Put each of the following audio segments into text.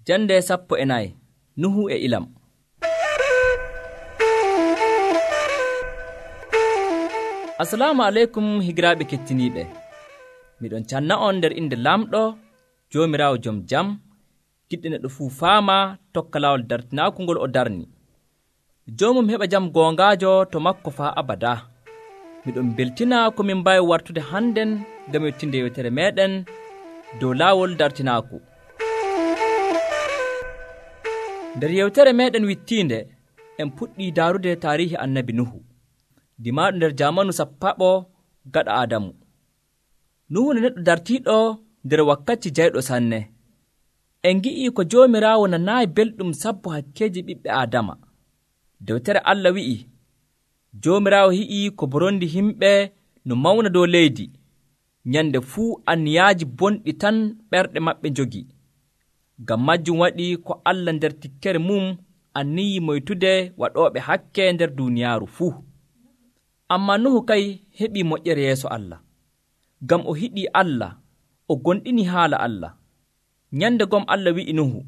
Jande 14 Nuhu e ilam. Assalamu alaikum higiraaɓe kettiniiɓe. Miɗon canna on nder inde lamɗo Joomiraawo jom jam, giɗɗo neɗɗo fuu faama tokka laawol dartinaaku ngol o darni. Joomum heɓa jam goongaajo to makko faa abada. Miɗon beltina ko min mbaawi wartude hannden ngam yettinde yewtere meeɗen dow laawol dartinaaku. Nder yewtere meeɗen wittiinde en puɗɗii daarude taarihi annabi Nuhu, dimaaɗo nder jaamanu sappaɓo gaɗa Aadamu. Nuhu ne neɗɗo dartiiɗo nder wakkati jayɗo sanne. En ngi'ii ko Joomiraawo nanaayi belɗum sabbo hakkeeji ɓiɓɓe Aadama. Dewtere Allah wi'i, Joomiraawo hi'ii ko borondi himɓe no mawna dow leydi. Nyande fuu anniyaaji bonɗi tan ɓerɗe maɓɓe njogi. Ngam majjum waɗi ko Allah nder tikkere mum anniyi moytude waɗooɓe hakke nder duuniyaaru fuu. Ammaa Nuhu kay heɓii moƴƴere yeeso Allah. Ngam o hiɗii Allah, o gonɗini haala Allah. Nyande gom Allah wi'i Nuhu,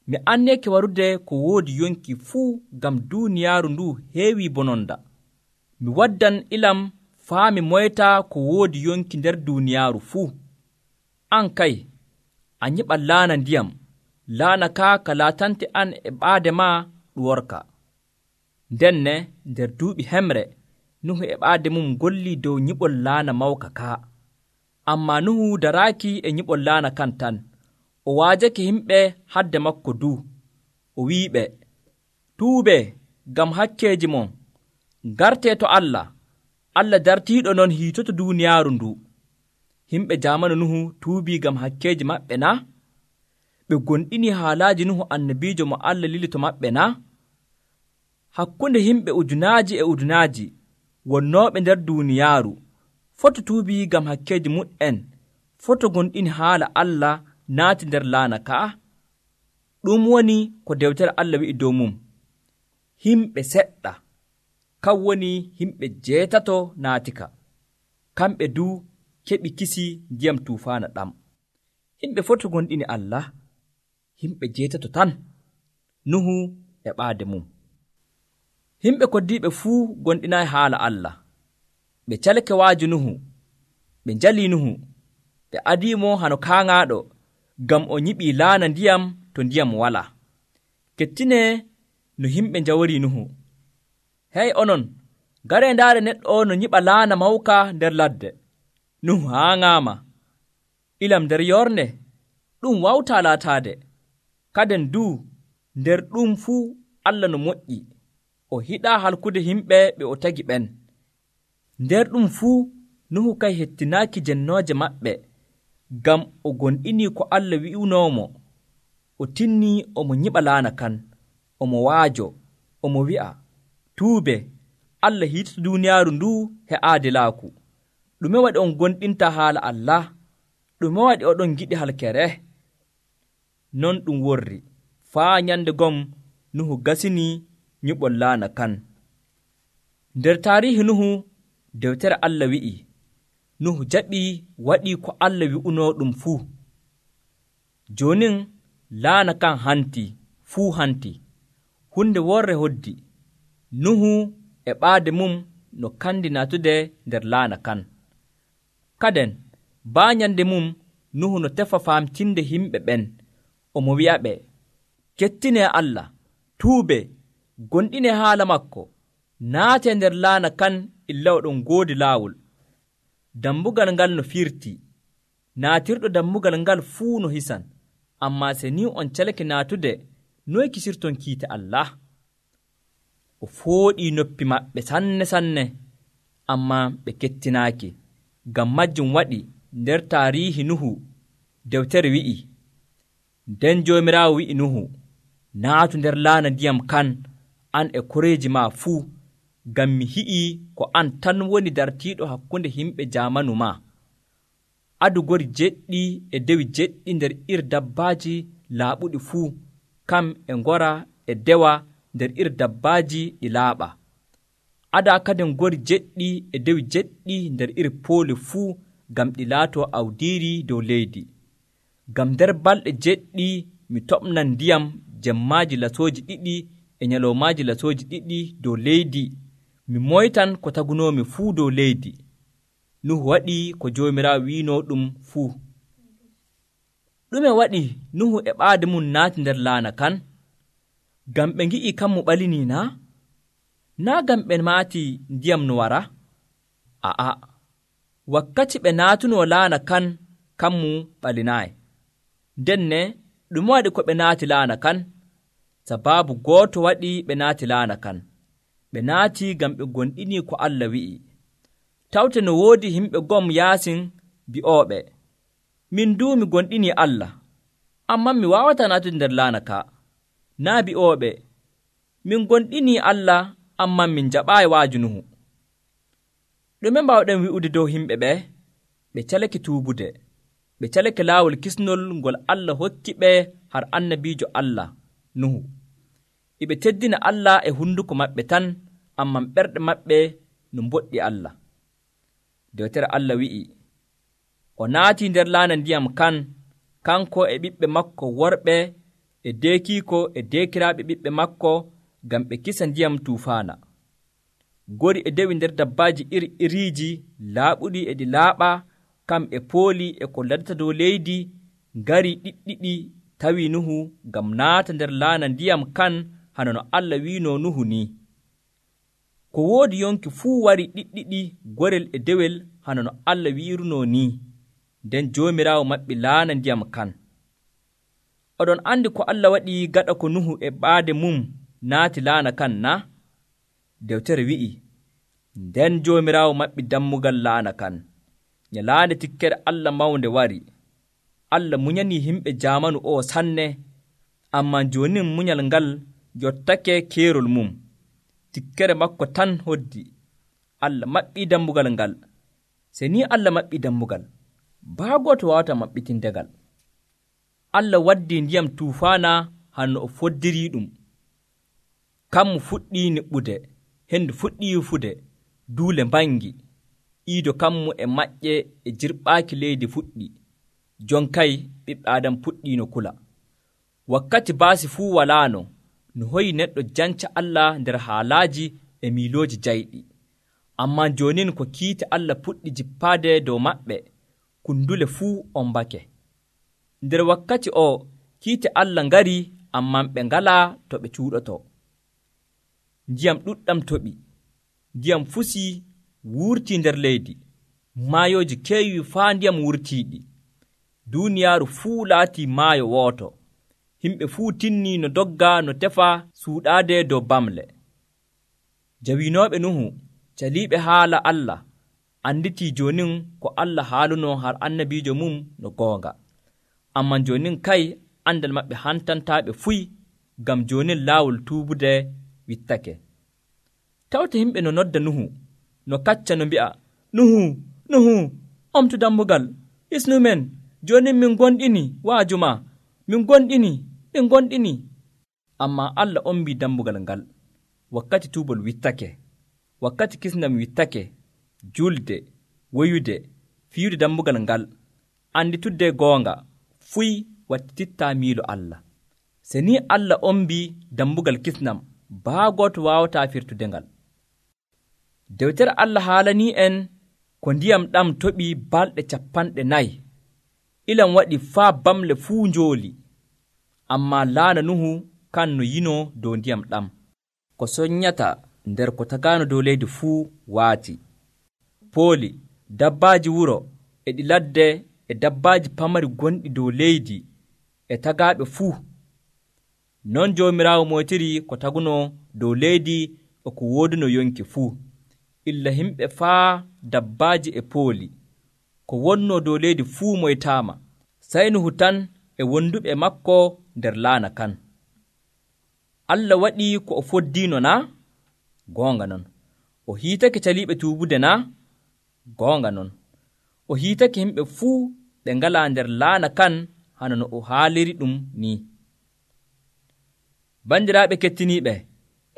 mi anneeke warude ko woodi yonki fuu ngam duuniyaaru ndu heewii bononda. Mi waddan ilam faa mi moyta ko woodi yonki nder duuniyaaru fuu. An kay, a nyiɓa laana ndiyam, laana kaa ka laatante an e ɓaade maa ɗuworka. Ndenne nder duuɓi hemre, Nuhu e ɓaade mum gollii dow nyiɓol laana mawka kaa. Ammaa Nuhu daraaki e nyiɓol laana kan tan. O waajake himɓe hadde makko duu. O wi'iɓe, tuubee ngam hakkeeji mon, ngartee to Allah. Allah dartiiɗo non hiitoto duuniyaaru ndu. Himɓe jaamanu Nuhu tuubii ngam hakkeeji maɓɓe na? Ɓe gonɗini haalaaji Nuhu annabiijo mo Allah lili to maɓɓe na? Hakkunde himɓe ujunaaji e ujunaaji wonnooɓe nder duuniyaaru foto tuubii ngam hakkeeji muɗ'en, foto gonɗini haala Allah naati nder laana ka'a. Ɗum woni ko dewtere Allah wi'i dow mum. Himɓe seɗɗa, kan woni himɓe 8 naatika. Kamɓe duu keɓi kisi ndiyam tuufaana ɗam. Himɓe foto gonɗini Allah, himɓe 8 tan, Nuhu e ɓaade mum. Himɓe koddiiɓe fuu gonɗinaayi haala Allah. Ɓe calke waaji Nuhu, ɓe njalii Nuhu, ɓe adiimo hano kaaŋaaɗo, ngam o nyiɓii laana ndiyam to ndiyam walaa. Kettinee no himɓe njaworii Nuhu. Hey onon, garee ndaare neɗɗo no nyiɓa laana mawka nder ladde. Nuhu haaŋaama. Ilam nder yornde, ɗum wawtaa laataade. Kaden duu, nder ɗum fuu Allah no moƴƴi. O hiɗaa halkude himɓe ɓe o tagi ɓen. Nder ɗum fuu, Nuhu kay hettinaaki jennooje maɓɓe, ngam o gonɗinii ko Allah wi'unoomo. O tinnii omo nyiɓa laana kan, omo waajo, omo wi'a, tuube, Allah hiitoto duuniyaaru nduu he aadilaaku. Ɗume waɗi on gonɗinta haala Allah? Ɗume waɗi oɗon giɗi halkere? Non ɗum worri, faa nyande gom Nuhu gasinii nyiɓol laana kan. Nder taarihi Nuhu, dewtere Allah wi'i, Nuhu jaɓii waɗii ko Allah wi'unoo ɗum fuu. Joonin laana kan hantii, fuu hantii. Hunde worre hoddi. Nuhu e ɓaade mum no kandi naatude nder laana kan. Kaden, baanyande mum, Nuhu no tefa faamtinde himɓe ɓen. Omo wi'aɓe, kettinee Allah, tuube, gonɗinee haala makko, naatee nder laana kan illa oɗon goodi laawol. Dammugal ngal no firtii, naatirɗo dammugal ngal fuu no hisan. Ammaa se ni on calake naatude, noy kisirton kiite Allah? O fooɗii noppi maɓɓe sanne, ammaa ɓe kettinaaki. Ngam majjum waɗi nder taarihi Nuhu, dewtere wi'i, nden Joomiraawo wi'i Nuhu, naatu nder laana ndiyam kan, an e koreeji maa fuu, ngam mi hi'ii ko an tan woni dartiiɗo hakkunde himɓe jaamanu maa. Adu gori jeɗɗi e dewi jeɗɗi nder iri dabbaaji laaɓuɗi fuu, kam e ngora e dewa nder iri dabbaaji ɗi laaɓa. Adaa kadin gori jeɗɗi e dewi jeɗɗi nder iri pooli fuu, ngam ɗi laatoo awdiiri dow leydi. Ngam nder balɗe jeɗɗi mi toɓnan ndiyam jemmaaji lasooji 2 e nyaloomaaji lasooji 2 dow leydi, mi moytan ko tagunoomi fuu dow leydi. Nuhu waɗi ko Joomiraawo wiinoo ɗum fuu. Ɗume waɗi Nuhu e ɓaade mum naati nder laana kan? Ngam ɓe ngi'i kanmo ɓalinii naa? Naa ngam ɓe maati ndiyam no wara? A'a, wakkati ɓe naatunoo laana kan, kanmu ɓalinaayi. Nden ne ɗume waɗi ko ɓe naati laana kan? Sabaabu gooto waɗi ɓe naati laana kan. Ɓe naati ngam ɓe gonɗinii ko Allah wi'i. Tawte no woodi himɓe gom yaasin bi'ooɓe, min duu mi gonɗinii Allah, ammaa mi waawataa naatude nder laana ka. Naa bi'ooɓe, min gonɗinii Allah, ammaa min jaɓaayi waaju Nuhu. Ɗume mbawɗen wi'ude dow himɓe ɓe? Ɓe calake tuubude. Ɓe calake laawol kisnol ngol Allah hokki ɓe har annabiijo Allah Nuhu. Iɓe teddina Allah e hunduko maɓɓe tan, ammaa ɓerɗe maɓɓe no mboɗɗi Allah. Dewtere Allah wi'i, o naatii nder laana ndiyam kan, kanko e ɓiɓɓe makko worɓe e deekiiko e deekiraaɓe ɓiɓɓe makko, ngam ɓe kisa ndiyam tuufaana. Gori e dewi nder dabbaaji iri-iriiji laaɓuɗi e ɗi laaɓa, kamɓe pooli e ko ladata dow leydi, ngarii ɗiɗɗiɗi tawi Nuhu ngam naata nder laana ndiyam kan hana no Allah wiinoo Nuhu ni. Ko woodi yonki fuu warii ɗiɗɗiɗi gorel e dewel hana no Allah wi'irunoo ni. Nden Joomiraawo maɓɓi laana ndiyam kan. Oɗon andi ko Allah waɗi gaɗa ko Nuhu e ɓaade mum naati laana kan na? Dewtere wi'i, nden Joomiraawo maɓɓi dammugal laana kan. Nyalaande tikkere Allah mawnde wari. Allah munyanii himɓe jaamanu o sanne, ammaa joonin munyal ngal yottake keerol mum. Tikkere makko tan hoddi. Allah maɓɓii dammugal ngal. Se ni Allah maɓɓii dammugal, baa gooto waawataa maɓɓitindegal. Allah waddii ndiyam tuufaana hanno o foddirii ɗum. Kammu fuɗɗii niɓɓude, hendu fuɗɗii yufude, duule mbangi, iido kammu e maƴƴe e jirɓaaki leydi fuɗɗi. Jonkay ɓiɓɓe Aadam puɗɗii no kula. Wakkati baasi fuu walaano, no hoyi neɗɗo janca Allah nder haalaaji e miilooji jayɗi. Ammaa joonin ko kiite Allah puɗɗi jippaade dow maɓɓe, kundule fuu ombake. Nder wakkati o kiite Allah ngarii, ammaa ɓe ngalaa to ɓe cuuɗotoo. Ndiyam ɗuɗɗam toɓi, ndiyam fusii wurtii nder leydi, maayooji keewii faa ndiyam wurtiiɗi. Duuniyaaru fuu laatii maayo wooto. Himɓe fuu tinnii no dogga no tefa suuɗaade dow bamle. Jawinooɓe Nuhu caliiɓe haala Allah anditii joonin ko Allah haalunoo har annabiijo mum no goonga. Ammaa joonin kay andal maɓɓe hantantaaɓe fuy, ngam joonin laawol tuubude wittake. Tawte himɓe no nodda Nuhu, no kacca no mbi'a, Nuhu, Nuhu, omtu dammugal, hisnumen, joonin min gonɗini waaju ma, min gonɗini. Ammaa Allah ombii dammugal ngal. Wakkati tuubol wittake, wakkati kisndam wittake, julde, woyude, fiyude dammugal ngal, anditudde goonga, fuy wattitittaa miilo Allah. Se ni Allah ombii dammugal kisnam, baa gooto waawataa firtude ngal. Dewtere Allah haalanii en ko ndiyam ɗam toɓii balɗe 40. Ilam waɗi faa bamle fuu njooli. Ammaa laana Nuhu kan no yinoo dow ndiyam ɗam. Ko soññata nder ko tagaano dow leydi fuu waati. Pooli, dabbaaji wuro e ɗi ladde e dabbaaji pamari gonɗi dow leydi e tagaaɓe fuu. Non Joomiraawo moytiri ko tagunoo dow leydi e ko wooduno yonki fuu. Illa himɓe faa dabbaaji e pooli. Ko wonnoo dow leydi fuu moytaama. Sey Nuhu tan e wonduɓe makko nder laana kan. Allah waɗii ko o foddiino naa? Goonga non. O hiitake caliiɓe tuubude naa? Goonga non. O hiitake himɓe fuu ɓe ngalaa nder laana kan hana no o haaliri ɗum ni. Bandiraaɓe kettiniiɓe,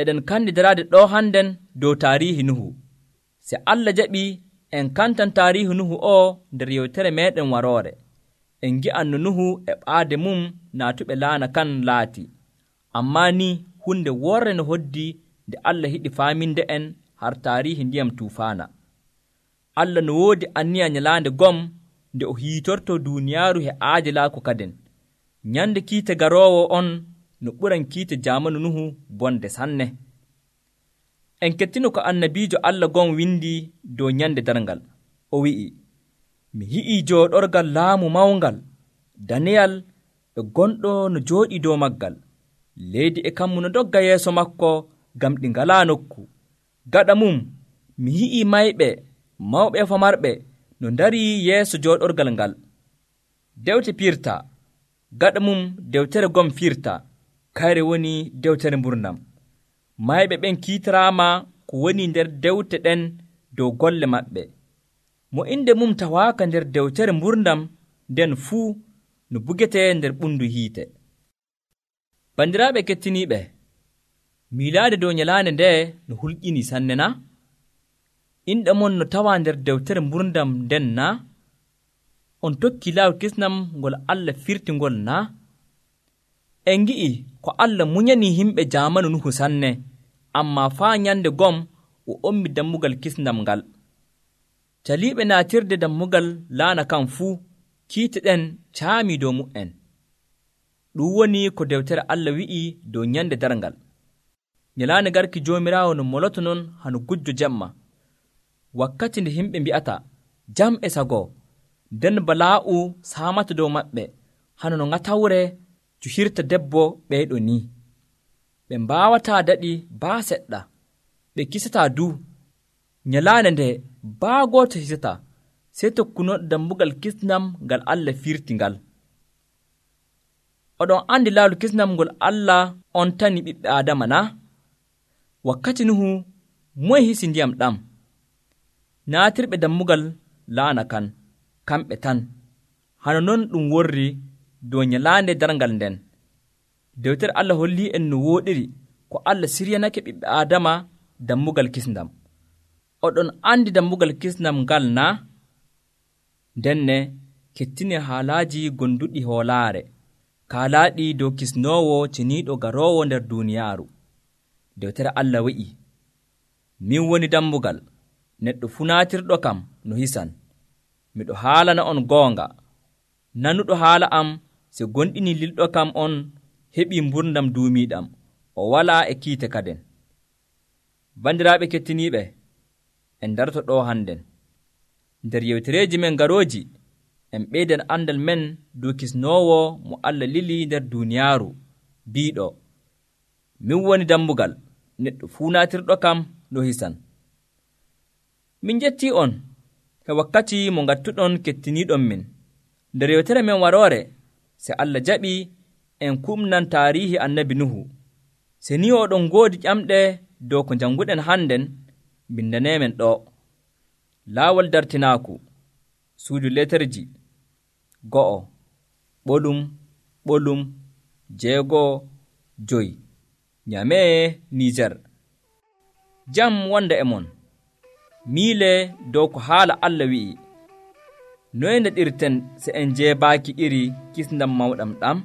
eɗen kandidaraade ɗo hannden dow taariihi Nuhu. Se Allah jaɓii en kantan taariihi Nuhu o nder yewtere meeɗen waroore. en ngi'an no Nuhu e ɓaade mum naatuɓe laana kan laati. Ammaa ni hunde worre no hoddi nde Allah yiɗi faaminde en har taarihi ndiyam tuufaana. Allah no woodi anniya nyalaande gom nde o hiitortoo duuniyaaru he aadilaaku kaden. Nyande kiite garoowo on no ɓuran kiite jaamanu Nuhu bonde sanne. En kettino ko annabiijo Allah gon windi dow nyande darngal. O wi'i, mi yi'ii jooɗorgal laamu mawngal, daneyal e gonɗo no jooɗii dow maggal. Leydi e kammu no dogga yeeso makko ngam ɗi ngalaa nokku. Gaɗa mum mi yi'ii mayɓe, mawɓe e famarɓe no ndarii yeeso jooɗorgal ngal. Dewte piirtaa, gaɗa mum dewtere gom fiirtaa, kayre woni dewtere mburnam. Mayɓe ɓen kiitiraama ko woni nder dewte ɗen dow golle maɓɓe. Mo inde mum tawaaka nder dewtere mburnam, nden fuu no bugetee nder ɓundu hiite. Bandiraaɓe kettiniiɓe, miilaade dow nyalaande nde no hulƴini sanne na? Inɗe mon no tawaa nder dewtere mburdam nden na? On tokki laawol kisnam ngol Allah firti ngol na? En ngi'i ko Allah munyanii himɓe jaamanu Nuhu sanne, ammaa faa nyande gom o ommi dammugal kisnam ngal. Caliiɓe naatirde dammugal laana kan fuu, kiite ɗen caamii dow mu'en. Ɗum woni ko dewtere Allah wi'i dow nyande darngal. Nyalaande garki Joomiraawo no moloto non hano gujjo jemma. Wakkati nde himɓe mbi'ata, jam e sago, nden balaa'u saamata dow maɓɓe, hano no ŋatawre cuhirta debbo ɓeyɗo ni. Ɓe mbaawataa daɗi baa seɗɗa, ɓe kisataa du. Nyalaande nde baa gooto hisataa, sey tokkunooɗo dammugal kisnam ngal Allah firti ngal. Oɗon andi laawol kisnam ngol Allah on tani ɓiɓɓe Aadama na? Wakkati Nuhu moye hisi ndiyam ɗam? Naatirɓe dammugal laana kan, kamɓe tan. Hano non ɗum worri dow nyalaande darngal nden. Dewtere Allah hollii en no wooɗiri ko Allah siryanake ɓiɓɓe Aadama dammugal kisnam. Oɗon andi dammugal kisnam ngal na? Ndenne kettine haalaaji gonduɗi hoolaare, kaalaaɗi dow kisnoowo ceniiɗo garoowo nder duuniyaaru. Dewtere Allah wi'i, min woni dammugal, neɗɗo fuu naatirɗo kam no hisan. Miɗo haalana on goonga. Nanuɗo haala am se gonɗini lilɗo kam on heɓii mburdam duumiiɗam, o walaa e kiite kaden. Bandiraaɓe kettiniiɓe, en darto ɗo hannden. Nder yewtereeji men garooji, en ɓeydan andal men dow kisnoowo mo Allah lili nder duuniyaaru, biiɗo, min woni dammugal, neɗɗo fuu naatirɗo kam no hisan. Min jettii on he wakkati mo ngattuɗon kettiniiɗon min. Nder yewtere men waroore, se Allah jaɓi en kumnan taarihi annabi Nuhu. Se ni oɗon ngoodi ƴamɗe dow ko jannguɗen hannden, bindaneemen ɗo. Laawol dartinaaku, suudu leterji, 1, ɓolum, 6, 5, Nyamee, Niijer. Jam wonda e mon. Miile dow ko haala Allah wi'i. Noye ndeɗirten se en jeebaaki iri kisndam mawɗam ɗam?